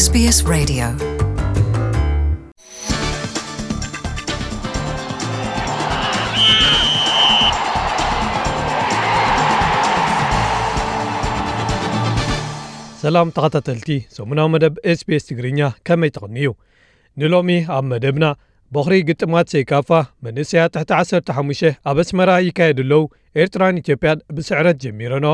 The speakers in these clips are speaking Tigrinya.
SBS Radio. ሰላም ተኸታተልቲ ሰሙናዊ መደብ SBS ትግርኛ፣ ከመይ ትቕንዩ? ንሎሚ ኣብ መደብና፣ ቦኽሪ ግጥማት ሴካፋ መንእሰያት ትሕቲ ዓሰርተ ሓሙሽተ ኣብ ኣስመራ ይካየዱ ኣለዉ። ኤርትራን ኢትዮጵያን ብስዕረት ጀሚረኖ።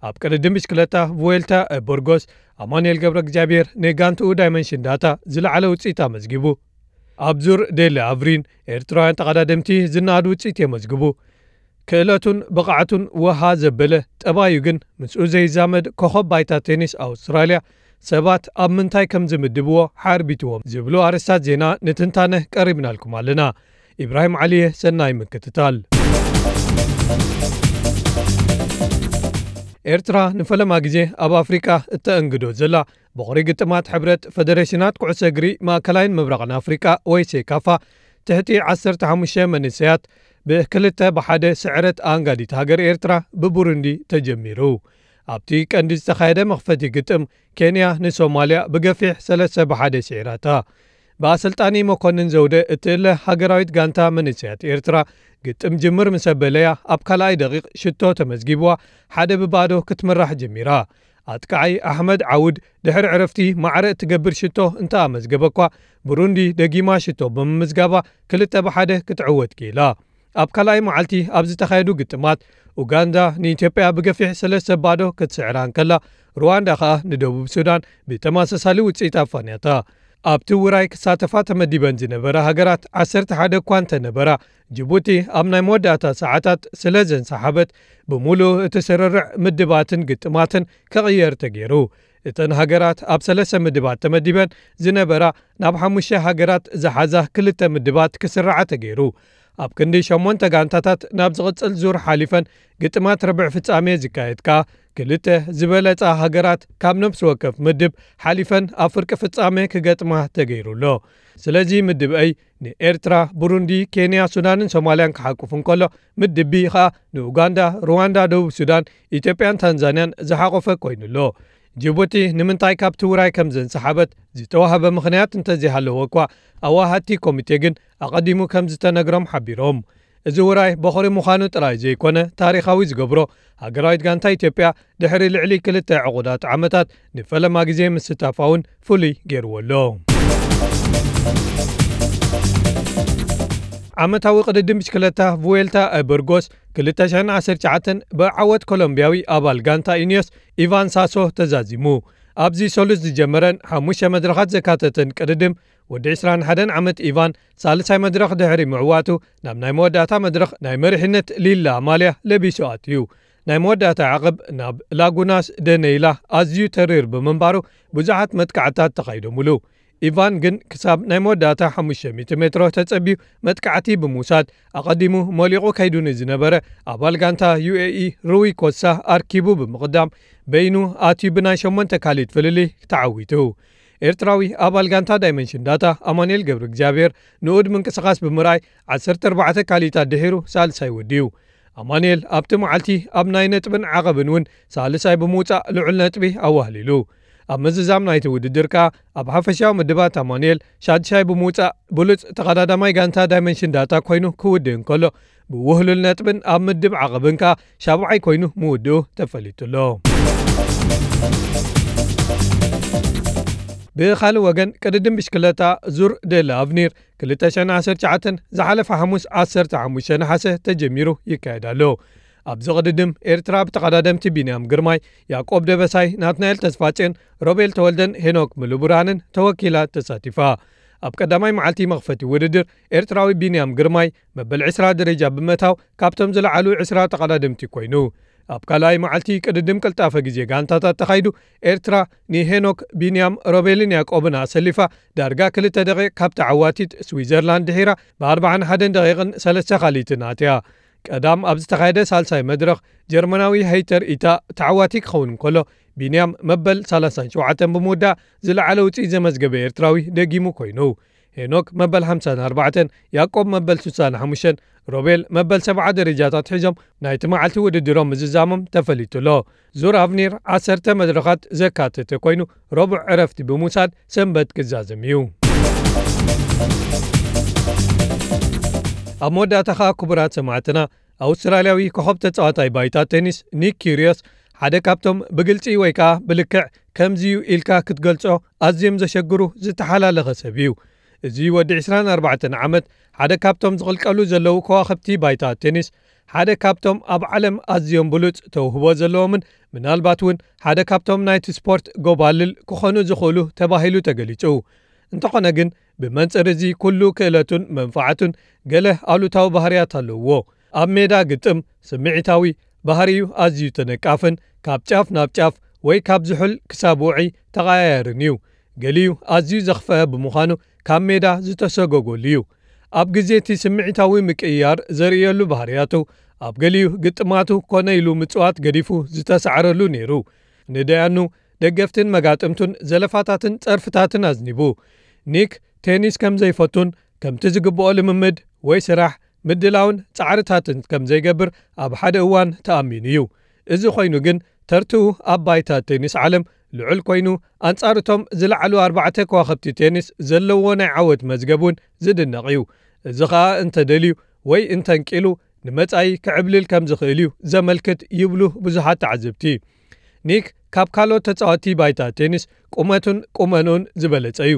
ኣብ ቅድድም ብሽክለታ ቡዌልታ ቡርጎስ፣ ኣማኑኤል ገብረ እግዚኣብሔር ንጋንትኡ ዳይመንሽን ዳታ ዝለዓለ ውጽኢት ኣመዝጊቡ። ኣብ ዙር ዴለ ኣቭሪን፣ ኤርትራውያን ተቐዳደምቲ ዝነኣድ ውጽኢት የመዝግቡ። ክእለቱን ብቕዓቱን ወሃ ዘበለ፣ ጠባዩ ግን ምስኡ ዘይዛመድ ኮኸብ ባይታ ቴኒስ ኣውስትራልያ፣ ሰባት ኣብ ምንታይ ከም ዝምድብዎ ሓርቢትዎም ዝብሉ ኣርእስታት ዜና ንትንታነ ቀሪብናልኩም ኣለና። ኢብራሂም ዓሊየ፣ ሰናይ ምክትታል። ኤርትራ ንፈለማ ግዜ ኣብ ኣፍሪቃ እተእንግዶ ዘላ ቦኽሪ ግጥማት ሕብረት ፈደሬሽናት ኩዕሶ እግሪ ማእከላይን ምብራቕን ኣፍሪቃ ወይ ሴካፋ ትሕቲ ዓሰርተ ሓሙሽተ መንእሰያት ብክልተ ብሓደ ስዕረት ኣንጋዲት ሃገር ኤርትራ ብቡሩንዲ ተጀሚሩ። ኣብቲ ቀንዲ ዝተኻየደ መኽፈቲ ግጥም ኬንያ ንሶማልያ ብገፊሕ ሰለስተ ብሓደ ስዒራታ። ብኣሰልጣኒ መኮንን ዘውደ እትእለ ሃገራዊት ጋንታ መንእሰያት ኤርትራ ግጥም ጅምር ምስ ኣበለያ ኣብ ካልኣይ ደቂቕ ሽቶ ተመዝጊብዋ ሓደ ብባዶ ክትምራሕ ጀሚራ። ኣጥቃዓይ ኣሕመድ ዓውድ ድሕሪ ዕረፍቲ ማዕረ እትገብር ሽቶ እንተ ኣመዝገበኳ፣ ብሩንዲ ደጊማ ሽቶ ብምምዝጋባ ክልተ ብሓደ ክትዕወት ክኢላ። ኣብ ካልኣይ መዓልቲ ኣብ ዝተኻየዱ ግጥማት፣ ኡጋንዳ ንኢትዮጵያ ብገፊሕ ሰለስተ ባዶ ክትስዕራ እንከላ፣ ሩዋንዳ ከኣ ንደቡብ ሱዳን ብተመሳሳሊ ውጽኢት ኣፋንያታ። ኣብቲ ውራይ ክሳተፋ ተመዲበን ዝነበራ ሃገራት ዓሰርተ ሓደ እኳ እንተነበራ፣ ጅቡቲ ኣብ ናይ መወዳእታ ሰዓታት ስለ ዘንሰሓበት፣ ብምሉእ እቲ ስርርዕ ምድባትን ግጥማትን ክቕየር ተገይሩ። እተን ሃገራት ኣብ ሰለስተ ምድባት ተመዲበን ዝነበራ፣ ናብ ሓሙሽተ ሃገራት ዝሓዛ ክልተ ምድባት ክስርዓ ተገይሩ። ኣብ ክንዲ ሸሞንተ ጋንታታት ናብ ዝቕጽል ዙር ሓሊፈን፣ ግጥማት ርብዕ ፍጻሜ ዝካየድ ከኣ፣ ክልተ ዝበለጻ ሃገራት ካብ ነፍሲ ወከፍ ምድብ ሓሊፈን ኣብ ፍርቂ ፍጻሜ ክገጥማ ተገይሩ ኣሎ። ስለዚ ምድብ ኤይ ንኤርትራ፣ ብሩንዲ፣ ኬንያ፣ ሱዳንን ሶማልያን ክሓቁፍ እንከሎ፣ ምድብ ቢ ኸኣ ንኡጋንዳ፣ ሩዋንዳ፣ ደቡብ ሱዳን፣ ኢትዮጵያን ታንዛንያን ዝሓቆፈ ኮይኑ ኣሎ። ጅቡቲ ንምንታይ ካብቲ ውራይ ከም ዘንሰሓበት ዝተዋህበ ምኽንያት እንተዘይሃለዎ እኳ፣ ኣዋሃድቲ ኮሚቴ ግን ኣቐዲሙ ከም ዝተነግሮም ሓቢሮም። እዚ ውራይ ቦኽሪ ምዃኑ ጥራይ ዘይኮነ፣ ታሪኻዊ ዝገብሮ፣ ሃገራዊት ጋንታ ኢትዮጵያ ድሕሪ ልዕሊ ክልተ ዕቑዳት ዓመታት ንፈለማ ግዜ ምስታፋ እውን ፍሉይ ገይርዎ ኣሎ። ዓመታዊ ቅድድም ብሽክለታ ቩዌልታ ቡርጎስ ክልተ ሽሕን ዓሰርተ ትሽዓተን ብዓወት ኮሎምቢያዊ ኣባል ጋንታ ኢኒዮስ ኢቫን ሳሶ ተዛዚሙ። ኣብዚ ሰሉስ ዝጀመረን ሓሙሽተ መድረኻት ዘካተተን ቅድድም፣ ወዲ ዕስራን ሓደን ዓመት ኢቫን ሳልሳይ መድረኽ ድሕሪ ምዕዋቱ፣ ናብ ናይ መወዳእታ መድረኽ ናይ መሪሕነት ሊላ ኣማልያ ለቢሱ ኣትዩ። ናይ መወዳእታ ዓቐብ ናብ ላጉናስ ደነይላ ኣዝዩ ተሪር ብምንባሩ፣ ብዙሓት መጥቃዕታት ተኻይዶምሉ። ኢቫን ግን ክሳብ ናይ መወዳእታ ሓሙሽተ ሚእቲ ሜትሮ ተጸብዩ መጥቃዕቲ ብምውሳድ፣ ኣቐዲሙ ሞሊቑ ከይዱ ንዝነበረ ኣባል ጋንታ ዩ ኤ ኢ ሩዊ ኮሳ ኣርኪቡ ብምቕዳም፣ በይኑ ኣትዩ ብናይ ሸሞንተ ካሊት ፍልልይ ተዓዊቱ። ኤርትራዊ ኣባል ጋንታ ዳይመንሽን ዳታ ኣማኑኤል ገብረ እግዚኣብሔር ንኡድ ምንቅስቓስ ብምርኣይ፣ ዓሰርተ ኣርባዕተ ካሊታት ድሒሩ ሳልሳይ ወዲኡ። ኣማኑኤል ኣብቲ መዓልቲ ኣብ ናይ ነጥብን ዓቐብን እውን ሳልሳይ ብምውጻእ ልዑል ነጥቢ ኣዋህሊሉ። ኣብ ምዝዛም ናይቲ ውድድር ከኣ ኣብ ሓፈሻዊ ምድባት ኣማኑኤል ሻድሻይ ብምውጻእ ብሉጽ ተቐዳዳማይ ጋንታ ዳይመንሽን ዳታ ኮይኑ ክውድእ እንከሎ፣ ብውህሉል ነጥብን ኣብ ምድብ ዓቐብን ከኣ ሻብዓይ ኮይኑ ምውድኡ ተፈሊጡ ኣሎ። ብኻልእ ወገን፣ ቅድድም ብሽክለታ ዙር ደለ ኣቭኒር ክልተ ሽሕን ዓሰርተ ትሽዓተን ዝሓለፈ ሓሙስ ዓሰርተ ሓሙሽተ ነሓሰ ተጀሚሩ ይካየድ ኣሎ። ኣብዚ ቅድድም ኤርትራ ብተቐዳደምቲ ቢንያም ግርማይ፣ ያዕቆብ ደበሳይ፣ ናትናኤል ተስፋጽዮን፣ ሮቤል ተወልደን ሄኖክ ምሉብርሃንን ተወኪላ ተሳቲፋ። ኣብ ቀዳማይ መዓልቲ መኽፈቲ ውድድር ኤርትራዊ ቢንያም ግርማይ መበል ዕስራ ደረጃ ብምእታው ካብቶም ዝለዓሉ ዕስራ ተቐዳደምቲ ኮይኑ። ኣብ ካልኣይ መዓልቲ ቅድድም ቅልጣፈ ግዜ ጋንታታት ተኻይዱ ኤርትራ ንሄኖክ፣ ቢንያም፣ ሮቤልን ያዕቆብን ኣሰሊፋ ዳርጋ ክልተ ደቂቕ ካብ ተዓዋቲት ስዊዘርላንድ ድሒራ ብኣርባዓን ሓደን ደቂቕን ሰለስተ ካልኢትን ኣትያ። ቀዳም ኣብ ዝተኻየደ ሳልሳይ መድረኽ ጀርመናዊ ሄይተር ኢታ ተዓዋቲ ክኸውን እንከሎ፣ ቢንያም መበል ሰላሳን ሸውዓተን ብምውዳእ ዝለዓለ ውጽኢት ዘመዝገበ ኤርትራዊ ደጊሙ ኮይኑ። ሄኖክ መበል ሓምሳን ኣርባዕተን፣ ያዕቆብ መበል ስሳን ሓሙሽተን፣ ሮቤል መበል ሰብዓ ደረጃታት ሒዞም ናይቲ መዓልቲ ውድድሮም ምዝዛሞም ተፈሊጡ ኣሎ። ዙር ኣቭኒር ዓሰርተ መድረኻት ዘካተተ ኮይኑ፣ ረቡዕ ዕረፍቲ ብምውሳድ ሰንበት ክዛዘም እዩ። ኣብ መወዳእታ ኸኣ፣ ክቡራት ሰማዕትና፣ ኣውስትራልያዊ ኮኸብ ተጻዋታይ ባይታ ቴኒስ ኒክ ኪርዮስ፣ ሓደ ካብቶም ብግልጺ ወይ ከኣ ብልክዕ ከምዚ'ዩ ኢልካ ክትገልጾ ኣዝዮም ዘሸግሩ ዝተሓላለኸ ሰብ እዩ። እዚ ወዲ ዕስራን ኣርባዕተን ዓመት ሓደ ካብቶም ዝቕልቀሉ ዘለዉ ከዋኽብቲ ባይታ ቴኒስ፣ ሓደ ካብቶም ኣብ ዓለም ኣዝዮም ብሉጽ ተውህቦ ዘለዎምን ምናልባት እውን ሓደ ካብቶም ናይቲ ስፖርት ጎባልል ክኾኑ ዝኽእሉ ተባሂሉ ተገሊጹ። እንተኾነ ግን፣ ብመንጽር እዚ ኩሉ ክእለቱን መንፋዓቱን ገለ ኣሉታዊ ባህርያት ኣለውዎ። ኣብ ሜዳ ግጥም ስምዒታዊ፣ ባህሪኡ ኣዝዩ ተነቃፍን ካብ ጫፍ ናብ ጫፍ ወይ ካብ ዝሑል ክሳብ ውዑይ ተቐያያርን እዩ። ገሊኡ ኣዝዩ ዘኽፍአ ብምዃኑ ካብ ሜዳ ዝተሰጎገሉ እዩ። ኣብ ግዜ እቲ ስምዒታዊ ምቅይያር ዘርእየሉ ባህርያቱ፣ ኣብ ገሊኡ ግጥማቱ ኮነ ኢሉ ምጽዋት ገዲፉ ዝተሳዕረሉ ነይሩ። ንደያኑ፣ ደገፍትን መጋጥምቱን ዘለፋታትን ጸርፍታትን ኣዝኒቡ። ኒክ ቴኒስ ከም ዘይፈቱን ከምቲ ዝግብኦ ልምምድ ወይ ስራሕ ምድላውን ጻዕርታትን ከም ዘይገብር ኣብ ሓደ እዋን ተኣሚኑ እዩ። እዚ ኮይኑ ግን፣ ተርትኡ ኣብ ባይታ ቴኒስ ዓለም ልዑል ኮይኑ፣ ኣንጻር እቶም ዝለዓሉ ኣርባዕተ ከዋኽብቲ ቴኒስ ዘለዎ ናይ ዓወት መዝገብ እውን ዝድነቕ እዩ። እዚ ኸኣ እንተደልዩ ወይ እንተንቂሉ፣ ንመጻኢ ክዕብልል ከም ዝኽእል እዩ ዘመልክት ይብሉ ብዙሓት ተዓዘብቲ። ኒክ ካብ ካልኦት ተጻወትቲ ባይታ ቴኒስ ቁመቱን ቁመንኡን ዝበለጸ እዩ።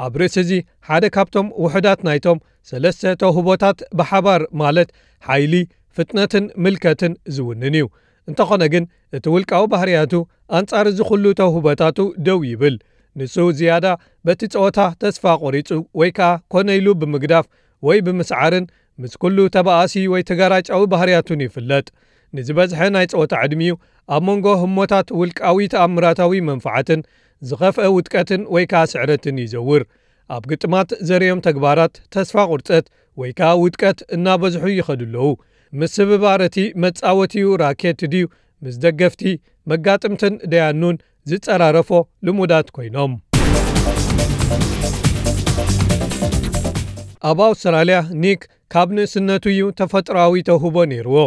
ኣብ ርእሲ እዚ፣ ሓደ ካብቶም ውሑዳት ናይቶም ሰለስተ ተውህቦታት ብሓባር፣ ማለት ሓይሊ፣ ፍጥነትን ምልከትን ዝውንን እዩ። እንተኾነ ግን፣ እቲ ውልቃዊ ባህርያቱ ኣንጻር እዚ ኩሉ ተውህቦታቱ ደው ይብል። ንሱ ዝያዳ በቲ ጸወታ ተስፋ ቆሪጹ ወይ ከኣ ኮነ ኢሉ ብምግዳፍ ወይ ብምስዓርን ምስ ኩሉ ተባኣሲ ወይ ተጋራጫዊ ባህርያቱን ይፍለጥ። ንዝበዝሐ ናይ ጸወታ ዕድሚኡ ኣብ መንጎ ህሞታት ውልቃዊ ተኣምራታዊ መንፍዓትን ዝኸፍአ ውድቀትን ወይ ከኣ ስዕረትን ይዘውር። ኣብ ግጥማት ዘርእዮም ተግባራት ተስፋ ቁርጸት ወይ ከኣ ውድቀት እናበዝሑ ይኸዱ ኣለዉ። ምስብባር እቲ መጻወቲኡ ራኬት ድዩ ምስ ደገፍቲ መጋጥምትን ደያኑን ዝጸራረፎ ልሙዳት ኮይኖም። ኣብ ኣውስትራልያ፣ ኒክ ካብ ንእስነቱ እዩ ተፈጥሮኣዊ ተውህቦ ነይርዎ።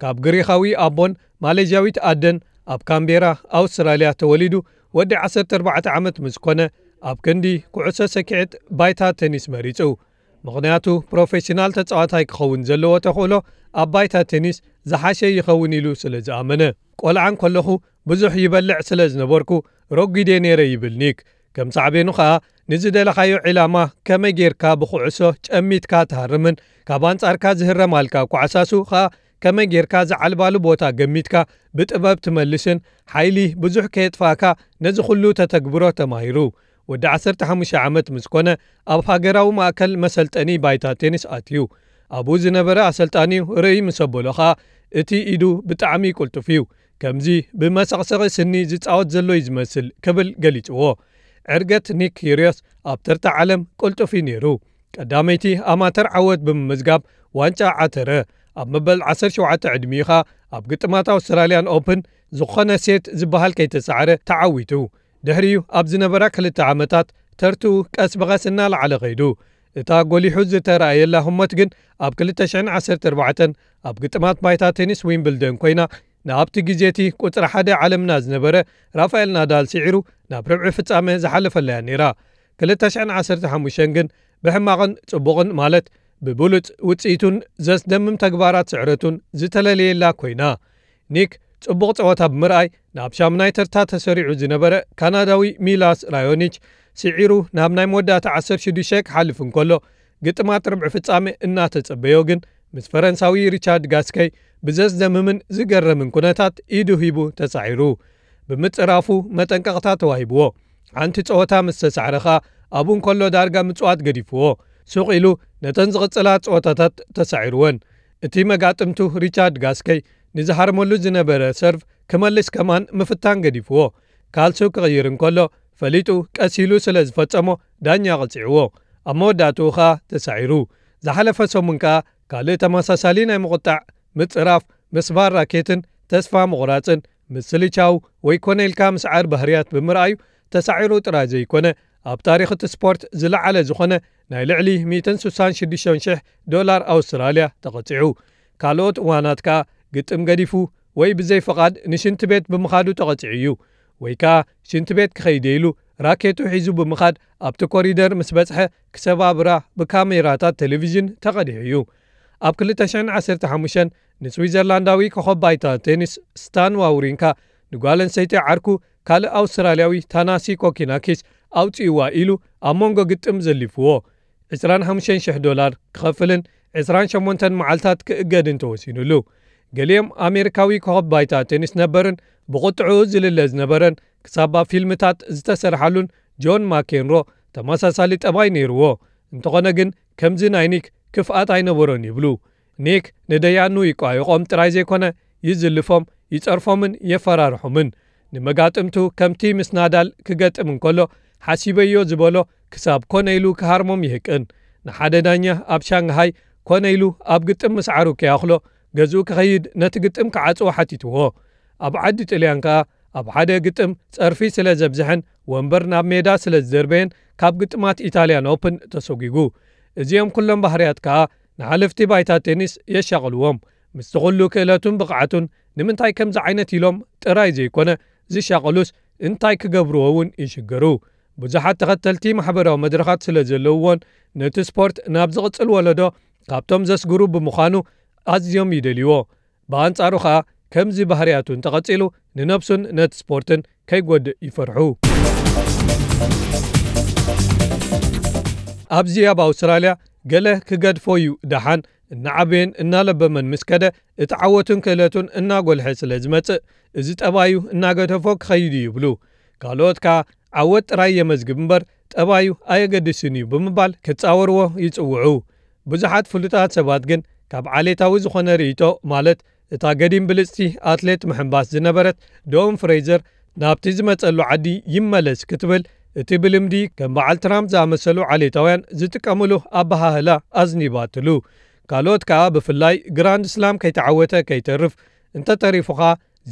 ካብ ግሪኻዊ ኣቦን ማሌዥያዊት ኣደን ኣብ ካምቤራ፣ ኣውስትራልያ ተወሊዱ፣ ወዲ ዓሰርተ ኣርባዕተ ዓመት ምስ ኮነ፣ ኣብ ክንዲ ኩዕሶ ሰኪዔት ባይታ ቴኒስ መሪጹ። ምኽንያቱ፣ ፕሮፌሽናል ተጻዋታይ ክኸውን ዘለዎ ተኽእሎ ኣብ ባይታ ቴኒስ ዝሓሸ ይኸውን ኢሉ ስለ ዝኣመነ። ቆልዓ እንከለኹ ብዙሕ ይበልዕ ስለ ዝነበርኩ፣ ረጒደ ነይረ ይብል ኒክ። ከም ሳዕቤኑ ኸኣ፣ ንዝደለኻዮ ዒላማ ከመይ ጌርካ ብኹዕሶ ጨሚትካ ትሃርምን ካብ ኣንጻርካ ዝህረማልካ ኳዕሳሱ ኸኣ ከመይ ጌርካ ዝዓልባሉ ቦታ ገሚትካ ብጥበብ ትመልስን ሓይሊ ብዙሕ ከየጥፋእካ ነዚ ኩሉ ተተግብሮ ተማሂሩ። ወዲ ዓሰርተ ሓሙሽተ ዓመት ምስ ኮነ፣ ኣብ ሃገራዊ ማእከል መሰልጠኒ ባይታ ቴኒስ ኣትዩ። ኣብኡ ዝነበረ ኣሰልጣኒኡ ርእይ ምስ ኣበሎ ኸኣ፣ እቲ ኢዱ ብጣዕሚ ቅልጡፍ እዩ። ከምዚ ብመሰቕሰቒ ስኒ ዝጻወት ዘሎ እዩ ዝመስል ክብል ገሊጽዎ። ዕርገት ኒክ ኪርዮስ ኣብ ተርታ ዓለም ቅልጡፍ እዩ ነይሩ። ቀዳመይቲ ኣማተር ዓወት ብምምዝጋብ ዋንጫ ዓተረ። ኣብ መበል ዓሰርተ ሸውዓተ ዕድሚኡ ኸኣ ኣብ ግጥማት ኣውስትራልያን ኦፕን ዝኾነ ሴት ዝበሃል ከይተሳዕረ ተዓዊቱ። ድሕሪኡ ኣብ ዝነበራ ክልተ ዓመታት ተርትኡ ቀስ ብቐስ እናለዓለ ኸይዱ። እታ ጎሊሑ ዝተራእየላ ህሞት ግን ኣብ ክልተ ሽሕን ዓሰርተ ኣርባዕተን ኣብ ግጥማት ባይታ ቴኒስ ዊምብልደን ኮይና፣ ንኣብቲ ግዜ እቲ ቁጽሪ ሓደ ዓለምና ዝነበረ ራፋኤል ናዳል ስዒሩ ናብ ርብዒ ፍጻመ ዝሓለፈላ እያ ነይራ። ክልተ ሽሕን ዓሰርተ ሓሙሽተን ግን ብሕማቕን ጽቡቕን፣ ማለት ብብሉጽ ውጽኢቱን ዘስደምም ተግባራት ስዕረቱን ዝተለለየላ ኮይና። ኒክ ጽቡቕ ጸወታ ብምርኣይ ናብ ሻምናይ ተርታ ተሰሪዑ ዝነበረ ካናዳዊ ሚላስ ራዮኒች ስዒሩ ናብ ናይ መወዳእታ ዓሰርተ ሽዱሽተ ክሓልፍ እንከሎ፣ ግጥማት ርብዒ ፍጻመ እናተጸበዮ ግን ምስ ፈረንሳዊ ሪቻርድ ጋስከይ ብዘስደምምን ዝገርምን ኩነታት ኢዱ ሂቡ ተሳዒሩ። ብምጽራፉ መጠንቀቕታ ተዋሂብዎ። ሓንቲ ጸወታ ምስ ተሳዕረ ኸኣ ኣብኡ እንከሎ ዳርጋ ምጽዋት ገዲፍዎ። ሱቕ ኢሉ ነተን ዝቕጽላ ጸወታታት ተሳዒርወን። እቲ መጋጥምቱ ሪቻርድ ጋስከይ ንዝሃርመሉ ዝነበረ ሰርቭ ክመልስ ከማን ምፍታን ገዲፍዎ። ካልሱ ክቕይር እንከሎ ፈሊጡ ቀስ ኢሉ ስለ ዝፈጸሞ ዳኛ ቀጺዕዎ። ኣብ መወዳእትኡ ኸኣ ተሳዒሩ። ዝሓለፈ ሰሙን ከኣ ካልእ ተመሳሳሊ ናይ ምቑጣዕ፣ ምጽራፍ፣ ምስባር ራኬትን ተስፋ ምቑራጽን፣ ምስልቻው ወይ ኮነ ኢልካ ምስዓር ባህርያት ብምርኣዩ ተሳዒሩ ጥራይ ዘይኮነ ኣብ ታሪኽ እቲ ስፖርት ዝለዓለ ዝኾነ ናይ ልዕሊ ሚእትን ስሳን ሽዱሽተን ሽሕ ዶላር ኣውስትራልያ ተቐጺዑ። ካልኦት እዋናት ከኣ ግጥም ገዲፉ ወይ ብዘይ ፍቓድ ንሽንቲ ቤት ብምኻዱ ተቐጺዑ እዩ። ወይ ከኣ ሽንቲ ቤት ክኸይድ ኢሉ ራኬቱ ሒዙ ብምኻድ ኣብቲ ኮሪደር ምስ በጽሐ ክሰባብራ ብካሜራታት ቴሌቪዥን ተቐዲሑ እዩ። ኣብ ክልተ ሽሕን ዓሰርተ ሓሙሽተን ንስዊዘርላንዳዊ ኮኸብ ባይታ ቴኒስ ስታን ዋውሪንካ ንጓል ኣንስተይቲ ዓርኩ ካልእ ኣውስትራልያዊ ታናሲ ኮኪናኪስ ኣውጺእዋ ኢሉ ኣብ መንጎ ግጥም ዘሊፍዎ ዕስራን ሓሙሽተን ሽሕ ዶላር ክኸፍልን ዕስራን ሸሞንተን መዓልታት ክእገድን ተወሲኑሉ። ገሊኦም ኣሜሪካዊ ኮኸብ ባይታ ቴኒስ ነበርን ብቕጥዑ ዝልለ ዝነበረን ክሳብ ኣብ ፊልምታት ዝተሰርሓሉን ጆን ማኬንሮ ተመሳሳሊ ጠባይ ነይርዎ። እንተኾነ ግን ከምዚ ናይ ኒክ ክፍኣት ኣይነበሮን ይብሉ። ኒክ ንደያኑ ይቋየቖም ጥራይ ዘይኮነ ይዝልፎም፣ ይጸርፎምን የፈራርሖምን። ንመጋጥምቱ ከምቲ ምስ ናዳል ክገጥም እንከሎ ሓሲበዮ ዝበሎ ክሳብ ኮነ ኢሉ ክሃርሞም ይህቅን። ንሓደ ዳኛ ኣብ ሻንግሃይ ኮነ ኢሉ ኣብ ግጥም ምስዓሩ ከይኣኽሎ ገዝኡ ክኸይድ ነቲ ግጥም ክዓጽዎ ሓቲትዎ። ኣብ ዓዲ ጥልያን ከኣ ኣብ ሓደ ግጥም ጸርፊ ስለ ዘብዝሐን ወንበር ናብ ሜዳ ስለ ዝደርበየን ካብ ግጥማት ኢታልያን ኦፕን ተሰጒጉ። እዚኦም ኩሎም ባህርያት ከኣ ንሓለፍቲ ባይታ ቴኒስ የሻቕልዎም። ምስቲ ኩሉ ክእለቱን ብቕዓቱን ንምንታይ ከምዚ ዓይነት ኢሎም ጥራይ ዘይኮነ ዝሻቐሉስ እንታይ ክገብርዎ እውን ይሽገሩ። ብዙሓት ተኸተልቲ ማሕበራዊ መድረኻት ስለ ዘለውዎን ነቲ ስፖርት ናብ ዝቕጽል ወለዶ ካብቶም ዘስግሩ ብምዃኑ ኣዝዮም ይደልይዎ። ብኣንጻሩ ኸኣ ከምዚ ባህርያቱ እንተቐጺሉ ንነብሱን ነቲ ስፖርትን ከይጎድእ ይፈርሑ። ኣብዚ ኣብ ኣውስትራልያ ገለ ክገድፎ እዩ ደሓን እናዓበየን እናለበመን ምስ ከደ እቲ ዓወቱን ክእለቱን እናጎልሐ ስለ ዝመጽእ እዚ ጠባዩ እናገደፎ ክኸይድ እዩ ይብሉ። ካልኦት ከኣ ዓወት ጥራይ የመዝግብ እምበር ጠባዩ ኣየገድስን እዩ ብምባል ክጻወርዎ ይጽውዑ። ብዙሓት ፍሉጣት ሰባት ግን ካብ ዓሌታዊ ዝኾነ ርእይቶ ማለት እታ ገዲም ብልጽቲ ኣትሌት ምሕንባስ ዝነበረት ዶን ፍሬዘር ናብቲ ዝመጸሉ ዓዲ ይመለስ ክትብል እቲ ብልምዲ ከም በዓል ትራምፕ ዝኣመሰሉ ዓሌታውያን ዝጥቀምሉ ኣበሃህላ ኣዝኒባትሉ። ካልኦት ከኣ ብፍላይ ግራንድ ስላም ከይተዓወተ ከይተርፍ እንተተሪፉኻ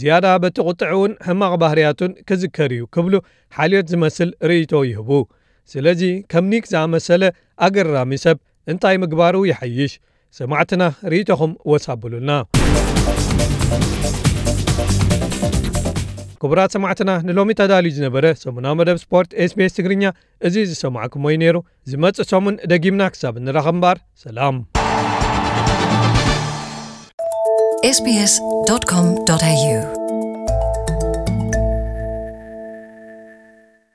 ዝያዳ በቲ ቁጥዕውን ሕማቕ ባህርያቱን ክዝከር እዩ ክብሉ ሓልዮት ዝመስል ርእይቶ ይህቡ። ስለዚ ከም ኒክ ዝኣመሰለ ኣገራሚ ሰብ እንታይ ምግባሩ ይሓይሽ? ሰማዕትና ርእይቶኹም ወሳብሉልና። ክቡራት ሰማዕትና ንሎሚ ተዳልዩ ዝነበረ ሰሙናዊ መደብ ስፖርት ኤስቢኤስ ትግርኛ እዚ ዝሰማዕኩሞ እዩ ነይሩ። ዝመጽእ ሰሙን ደጊምና ክሳብ እንራኸብ እምበኣር ሰላም። ኤስቢኤስ ዶት ኮም ዶት ኤዩ